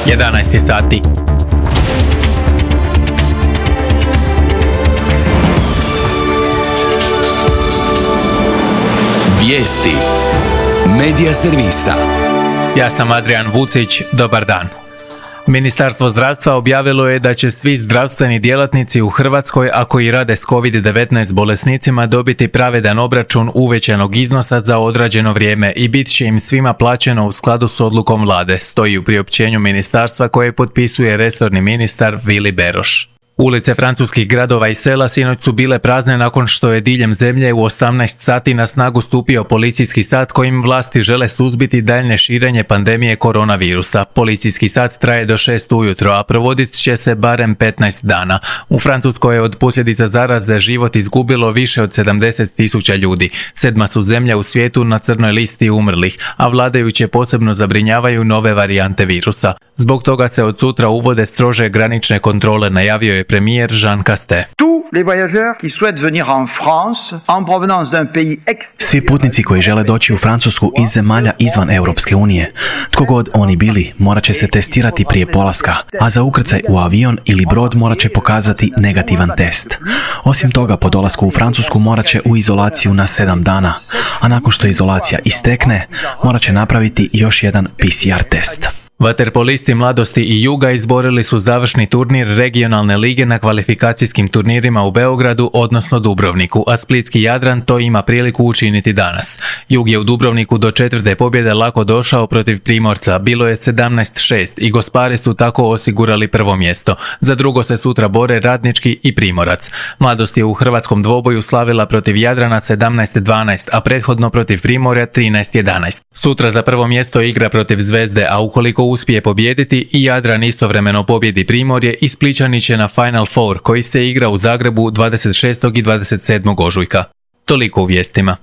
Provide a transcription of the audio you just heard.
11 sati. Vijesti Medija servisa. Ja sam Adrian Vucić, dobar dan. Ministarstvo zdravstva objavilo je da će svi zdravstveni djelatnici u Hrvatskoj, a koji rade s COVID-19 bolesnicima, dobiti pravedan obračun uvećanog iznosa za odrađeno vrijeme i bit će im svima plaćeno u skladu s odlukom vlade, stoji u priopćenju ministarstva koje potpisuje resorni ministar Vili Beroš. Ulice francuskih gradova i sela sinoć su bile prazne nakon što je diljem zemlje u 18 sati na snagu stupio policijski sat kojim vlasti žele suzbiti daljnje širenje pandemije koronavirusa. Policijski sat traje do 6 ujutro, a provodit će se barem 15 dana. U Francuskoj je od posljedica zaraze život izgubilo više od 70.000 ljudi. 7. su zemlje u svijetu na crnoj listi umrlih, a vladajuće posebno zabrinjavaju nove varijante virusa. Zbog toga se od sutra uvode strože granične kontrole, najavio je premijer Jean Castex. Svi putnici koji žele doći u Francusku iz zemalja izvan Europske unije, tko god oni bili, morat će se testirati prije polaska, a za ukrcaj u avion ili brod morat će pokazati negativan test. Osim toga, po dolasku u Francusku morat će u izolaciju na 7 dana, a nakon što izolacija istekne, morat će napraviti još jedan PCR test. Vaterpolisti Mladosti i Juga izborili su završni turnir regionalne lige na kvalifikacijskim turnirima u Beogradu, odnosno Dubrovniku, a splitski Jadran to ima priliku učiniti danas. Jug je u Dubrovniku do 4. pobjede lako došao protiv Primorca, bilo je 17-6 i gospari su tako osigurali prvo mjesto. Za drugo se sutra bore Radnički i Primorac. Mladost je u hrvatskom dvoboju slavila protiv Jadrana 17-12, a prethodno protiv Primorja 13-11. Sutra za prvo mjesto igra protiv Zvezde, a ukoliko uspije pobijediti i Jadran istovremeno pobjedi Primorje i Splićani će na Final Four koji se igra u Zagrebu 26. i 27. ožujka. Toliko u vijestima.